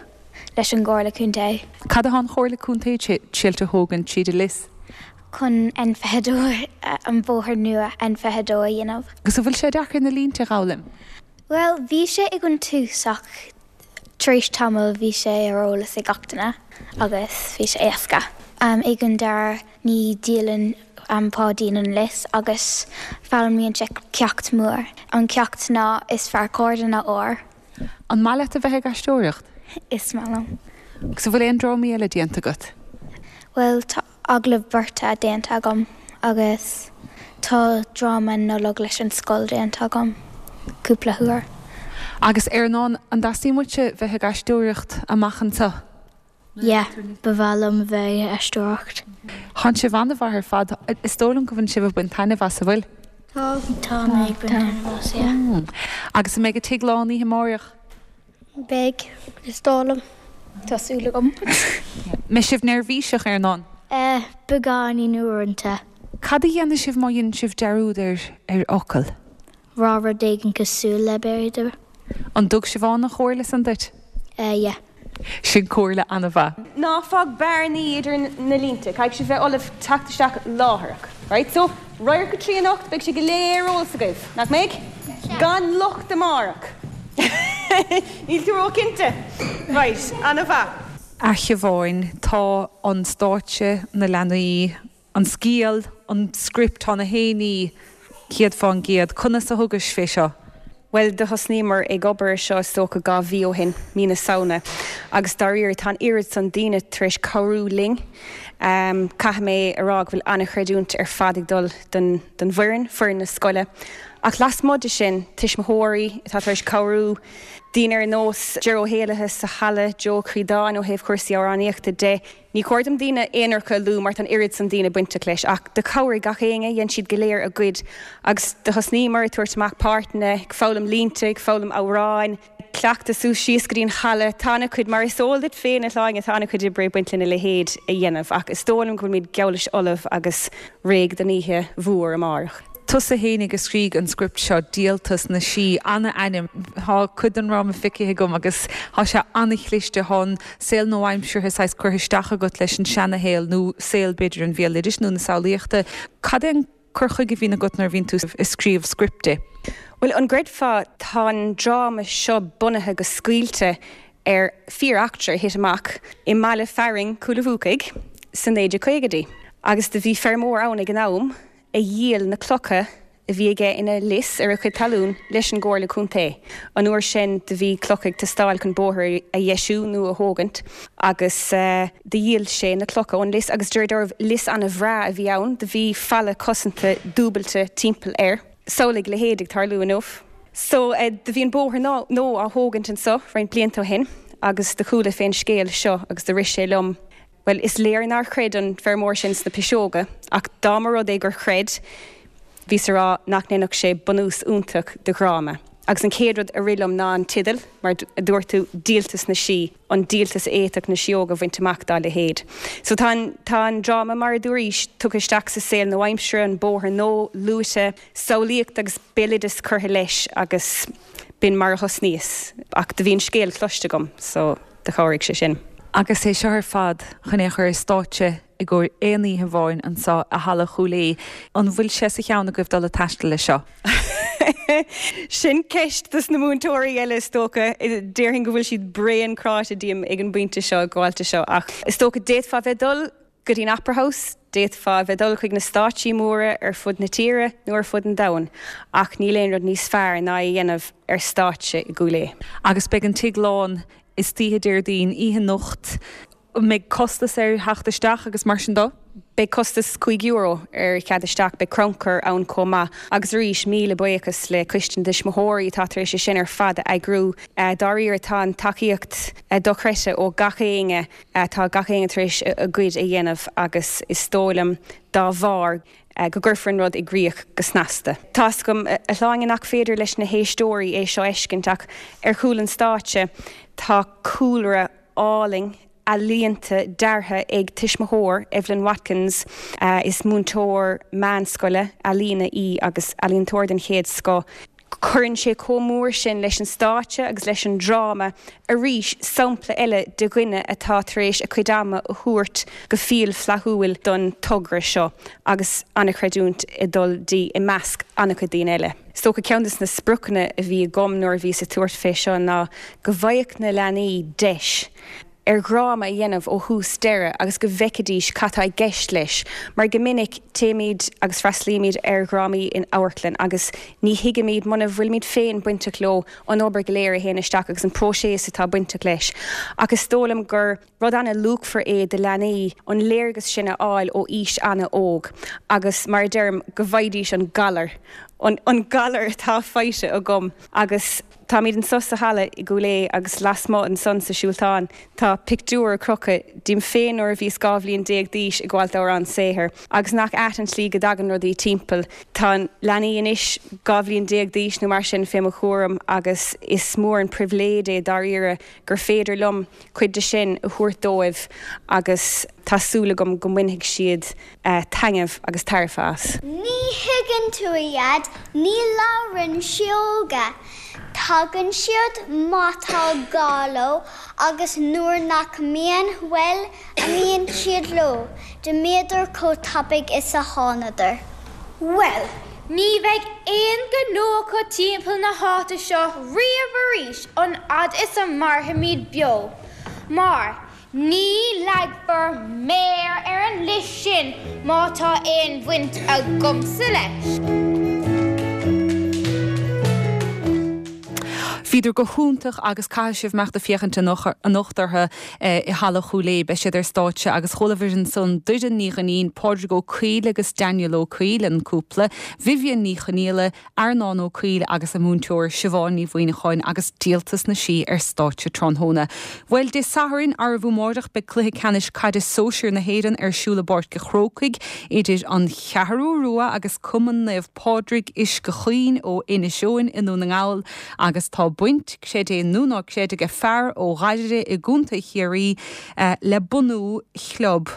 leis an gComhairle Contae. Cad atá an Chomhairle Contae triail a thógaint tríd an lios? Chun N fiche dó an bóthar nua N fiche dó a dhéanamh. Agus an bhfuil sé deacair na línte a fhoghlaim? Well, bhí sé ag an tús ach tar éis tamall bhí sé ar eolas ag gach duine agus bhí sé éasca. Um, ag an deireadh ní dhíolann um, Páidín an lios agus foghlaimíonn sé ceacht mór. An ceacht ná is fearr cairde ná ór. An maith leat a bheith ag aisteoireacht? Is maith liom. Agus an bhfuil aon drámaí eile déanta agat? Well tá agallamh beirte déanta agam agus tá dráma Nollag leis an scoil déanta agam cúpla huair. Agus Earnán an dteastaíonn uaitse bheith ag aisteoireacht amach anseo? Yeah, ba mhaith liom bheith ag aisteoireacht. Tá sibh an-mhaith ar fad is dóigh liom go bhfuil sibh ag baint taitneamh as an bhfuil. Tá mé ag baint taitneamh as, yeah. Agus an mbeidh an tigh lán oíche amárach? Beidh is dóigh liom. Tá súil agam. Mbeidh sibh neirbhíseach Earnán? Eh, beagáinín uaireanta. Cad a dhéanfaidh sibh má dhéanann sibh dearúd ar ar fhocal? Rá rud éigin cosúil le b'fhéidir. An dtug Siobhán an chomhairle san duit? Eh, yeah. Sin comhairle an-mhaith. Ná fág bearnaí idir na línte, caithfidh sibh bheith ullamh teacht isteach láithreach. Right? So, radharc a trí anocht, beidh sé go léir ar eolas agaibh, nach mbeidh? Gan locht amárach. Níl tú ró-chinnte. Right, an-mhaith. A Shiobháin, tá an stáitse na leanaí, an scéal, an script tá na héiní céad fán gcéad. Conas a thugais fé seo? Bhuel, do thosnaíomar ag obair ar seo is dócha dhá mhí ó shin, mí na Samhna, agus dáiríre tá an oiread san daoine tar éis cabhrú linn. Caithfidh mé a rá go bhfuil an-chreidiúint ar fad ag dul don don bhfoireann, foireann na scoile. Ach lasmuigh de sin, tuismitheoirí atá tar éis cabhrú, daoine ar nós Ger Ó hÉalaithe sa halla, Joe Críodáin ó thaobh cúrsaí amhránaíochta de, Ní cóir dom daoine aonaracha a lua mar tá an oiread san daoine bainteach leis, ach do chabhraigh gach éinne, dhein siad go léir a gcuid agus do thosnaíomar ag tabhairt amach páirteanna, ag foghlaim línte, ag foghlaim amhráin, ag cleachtadh suas síos go dtí an halla. Tá ana-chuid, mar is eol duit féin a Shláine, tá ana-chuid oibre ag baint lena leithéid a dhéanamh ach is dóigh liom go bhfuilimid geall leis ullamh agus réidh don oíche mhór amárach. Tusa fhéinig a scrígh an script seo, Díoltas na Sí, ana-ainm. Tá cuid den dráma feicthe agam agus tá sé ana-chliste. Tá an saol nua-aimseartha saghas curtha isteach agat leis an seana-shaol nó saol b'fhéidir an bhéaloidis nó na samhlaíochta. Cad é an cur chuige a bhíonn agat nuair a bhíonn tú ag scríobh scripte? Bhuel, an gcreidfeá, tá an dráma seo bunaithe go scaoilte ar fíor-eachtra a thit amach i mbaile fearainn Chúil a' Bhuacaigh sa naoi déag caogaidí. Agus do bhí feirmeoir ann ag an am a dhíol na clocha a bhí aige ina lios ar a chuid talún leis an gComhairle Contae. An uair sin do bhí clocha ag teastáil chun bóthar a dheisiú nó a thógaint agus do dhíol sé na clocha ón lios agus deir dealramh lios ana-bhreá a bhí ann, do bhí falla cosanta dúbailte timpeall air. Samhlaigh a leithéid ag tarlú inniu. So do bhí an bóthar nua á thógaint anso roinnt blianta ó shin agus do chuala fén scéal seo agus do rith sé liom, Bhuel, is léir nár chreid an feirmeoir sin sna piseoga, ach dá mba rud é gur chreid, bhíos a rá nach ndéanfadh sé bunús iontach do dhráma. Agus an chéad rud a rith liom ná an teideal, mar a dúirt tú, Díoltas na Sí, an díoltas a fhéadfadh na síóga a bhaint amach dá leithéid. So tá an, tá an dráma, mar a dúraís, tugtha isteach sa saol nua-aimseartha, an bóthar nua luaite, samhlaíocht agus béaloideas curtha leis agus b'in mar a thosnaíos. Ach do bhí an scéal cloiste agam, so do chabhraigh sé sin. Agus é seo ar fad chun é a chur ar stáitse i gcomhair aon oíche amháin anseo i Halla Chúil Aodha, an bhfuil sé sa cheann agaibh dul ag taisteal leis seo? Sin ceist dos na múinteoirí eile is dócha. Déarfainn go bhfuil siad bréan cráite díom ag an bpointe seo, ag gabháilt de seo ach is dócha d'fhéadfá bheith dul go dtí an Opera House, d'fhéadfá bheith dul chuig na stáitsí móra ar fud na tíre nó ar fud an domhain ach níl aon rud níos fearr ná é a dhéanamh ar stáitse i gCúil Aodha. Agus beidh an tigh lán istoíche Déardaoin, oíche anocht. An mbeidh costas ar theacht isteach agus mar sin de? Beidh costas cúig euro ar chead isteach, beidh crannchur ann chomh maith agus arís míle buíochas le Coiste na dTuismitheoirí atá tar éis é sin ar fad a eagrú. Dáiríre tá an tacaíocht dochreidte ó gach éinne, tá gach éinne tar éis a gcuid a dhéanamh agus is dóigh liom dá bharr go gcuirfear an rud i gcrích go snasta. Tá's agam, a Shláine, nach féidir leis na héisteoirí é seo a fheiscint ach ar chúl an stáitse tá cúlra álainn ealaíonta deartha ag tuismitheoir, Evelyn Watkins. Is múinteoir meánscoile ealaíne í agus ealaíontóir den chéad scoth. Cuireann sé chomh mór sin leis an stáitse agus leis an dráma. Arís, sampla eile de dhuine atá tar éis a cuid ama a thabhairt go fial flaithiúil don togra seo agus an-chreidiúint ag dul di i measc an-chuid daoine eile. Is dócha ceann de na spriocanna a bhí agam nuair a bhíos ag tabhairt fé seo ná go bhfaigheadh na leanaí deis ar dhráma a dhéanamh ó thús deireadh agus go bhfeicfidís cad tá i gceist leis, mar go minic téimid agus freastalaímid ar dhrámaí in amharclann agus ní thuigimid, muna bhfuilimid féin bainteach leo, an obair go léir a théann isteach agus an próiseas atá bainteach leis. Ach is dóigh liom gur rud ana-luachmhar é do leanaí an léargas sin a fháil ó aois ana-óg agus, mar a deirim, go bhfaighidís an galar, an galar atá faighte agam agus. Táimid anso sa halla i gCúil Aodha agus lasmuigh ansan sa siúltán tá pictiúr ar crochadh díom féin nuair a bhíos dhá bhliain déag d'aois ag gabháilt d'amhrán saothair. Agus nach ait an tslí go dtagann rudaí timpeall. Tá leanaí anois dhá bhliain déag d'aois nó mar sin fé mo chúram agus is mór an pribhléid é dáiríre gur féidir liom cuid de sin a thabhairt dóibh agus tá súil agam go mbainfidh siad taitneamh agus tairbhe as. Ní thuigeann tú, a Dhaid, ní labhrann sióga. Tagann siad má tá gá leo agus nuair nach mbíonn, bhuel, imíonn siad leo. D'imíodar chomh tapaidh is a thánadar. Bhuel, ní bheidh aon ghnó acu timpeall na háite seo riamh arís an fhad is a mairfimid beo, mar Ní leagfar méar ar an lios sin má tá aon bhaint agamsa leis. Bhíodar go hiontach agus caithfidh sibh imeacht ag féachaint anocht orthu i Halla Chúil Aodha. Beidh siad ar stáitse agus chualabhair ansan Doireann Ní Dhuinnín, Pádraig Ó Cuill agus Daniel Ó Cuill, an cúpla, Vivian Ní Chonaola, Earnán Ó Cuill agus a múinteoir Siobhán Ní Mhuimhneacháin agus Díoltas na Sí ar stáitse tráthnóna. Bhuel, Dé Sathairn, arbh amáireach, beidh cluiche ceannais caide sóisir na hÉireann ar siúl i bPáirc a' Chrócaigh idir An Cheathrú Rua agus Cumann Naomh Pádraig Uisce Chaoin ó Inis Eoghain i nDún na nGall agus tá baint, creid é nó ná creid, ag fear ó Ghairire i gContae Chiarraí le bunú chlub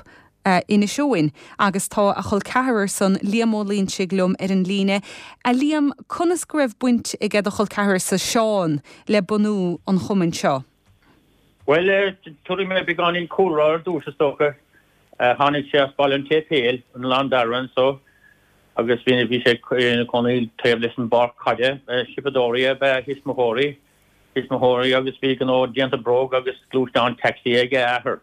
Inis Eoghain agus tá a chol ceathrar san, Liam Ó Loingsigh liom ar an líne. A Liam, conas go raibh baint ag do chol ceathrar-sa, Seán, le bunú an chumainn seo? Bhuel, tabharfaidh mé beagáinín cúlra ar dtús is dócha. Tháinig sé as Baile an tSéipéil, an Oileán Dara anso agus bhí bhí sé ina chónaí taobh leis an bpáirc caide. Siopadóirí ab ea a thuismitheoirí, thuismitheoirí agus bhí gnó déanta bróg agus gluaisteán taxi ag a athair.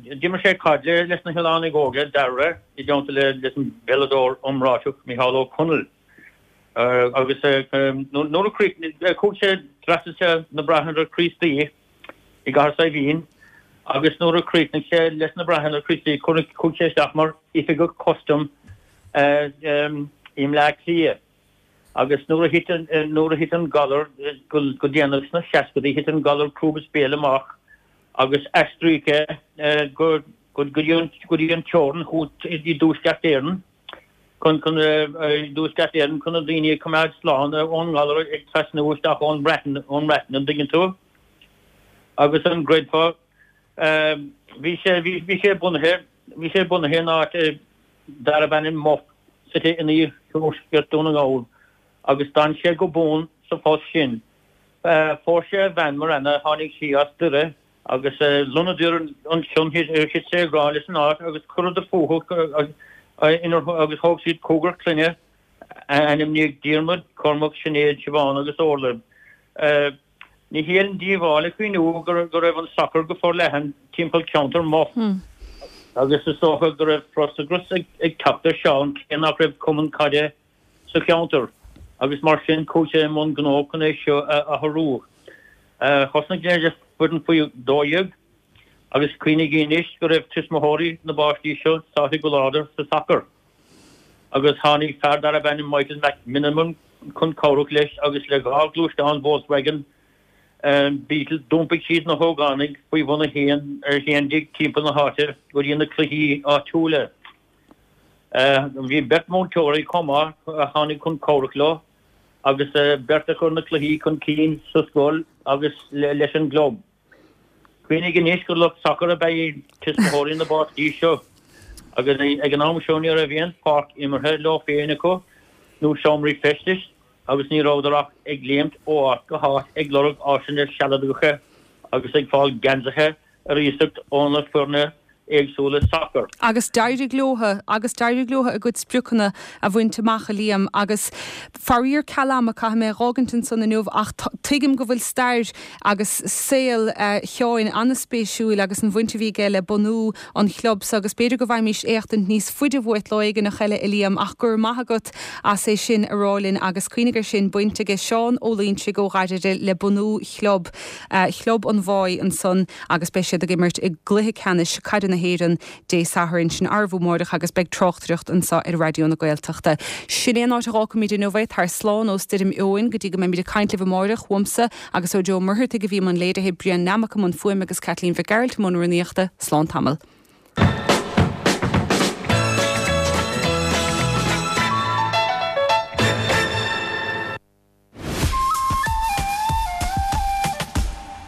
D'imir sé caid leis na hOileánaigh Óga, Dara, i dteannta leis an bpeileadóir iomráiteach Micheál Ó Conaill. Agus nuair a chuaigh sé, d'fhreastail sé na Bráithre Críostaí i gCathair Saidhbhín agus nuair a chríochnaigh sé leis na Bráithre Críostaí chuaigh sé isteach mar oifigeach custaim i mBleá Cliath. Agus nuair a thit nuair a thit an galar go déanach sna seascadaí, thit an galar crúb is béil amach agus aistríodh é go go dtí an go dtí an teorainn i dTuaisceart Éireann chun chun i dTuaisceart Éireann chun na daoine a choimeád slán ón ngalar ag trasnú isteach ón mBreatain ón mBreatain an dtuigeann tú? Agus an gcreidfeá bhí sé bhí sé bunaithe bhí sé bunaithe in áit darb ainm Muff suite in iarthuaisceart Dhún na nGall agus d'fhan sé go buan sa phost sin. Phós sé a bhean Marana, tháinig sí as Doire agus lonnaíodar ansin, thit sé i ngrá leis an áit agus chuireadar fúthu agus thóg siad cúigear clainne a ainmníodh Diarmuid, Cormac, Sinéad, Siobhán agus Orla. Ní haon díobháil a chuimhniú go raibh an sacar go forleathan timpeall ceantar Muff agus is dócha go raibh frustrachas ag teacht ar Seán cé nach raibh cumann caide sa cheantar agus mar sin chuaigh sé i mbun gnó chun é seo a athrú. Thosnaigh sé le foireann faoi dó dhéag agus cuimhnigí anois go raibh tuismitheoirí na bpáistí seo sáite go láidir sa sacar agus tháinig fear darb ainm Michael McMenamin chun cabhrach leis agus le dhá ghluaisteán Volkswagen Beetle d'iompaigh siad na hógánaigh faoi bhun a haon a haon déag timpeall na háite go dtí na cluichí áitiúla. Bhí beirt mhúinteoirí chomh maith a tháinig chun cabhrach leo agus beirt a chuir na cluichí chun cinn sa scoil agus leis an gclub. Cuimhnigh anois gur lucht sacair ab ea iad tuismitheoirí na bpáistí seo agus ag an am seo ní raibh aon pháirc imeartha leo féin acu nó seomraí feistis agus ní rabhadar ach ag léimt ó áit go háit ag lorg áiseanna sealadacha agus ag fáil geansaithe ar iasacht ó na foirne éagsúla sacair. Agus d'éirigh leo, agus d'éirigh leo a gcuid spriocanna a bhaint amach, a Liam, agus faraor ceal ama caithfidh mé a dh'fhágaint ansan inniu ach tuigim go bhfuil stair agus saol Sheáin an-spéisiúil agus an bhaint a bhí aige le bunú an chlub so agus b'fhéidir go bhfaighimís éachtaint níos faide uait lá éigineach eile, a Liam, ach go raibh maith agat as é sin a rá linn agus cuimhnigh air sin, baint aige Seán Ó Loingsigh ó Ghairire le bunú chlub Chlub an Bháigh ansan agus beidh siad ag imirt i gcluiche ceannais caide na hÉireann Dé Sathairn, sin arbh amáireach agus beidh tráchtaireacht anso ar Raidió na Gaeltachta. Sin é an áit a dh'fhágfaimid inniu é, tar slán ó Stoirm Eowyn go dtí go mbeimid ag caint libh amáireach, uaimse agus ó Joe Ó Muircheartaigh a bhí i mbun léirithe, Brian Nammock i mbun fuaime agus Caitlín Mhic Gearailt i mbun rúnaíochta. Slán tamall.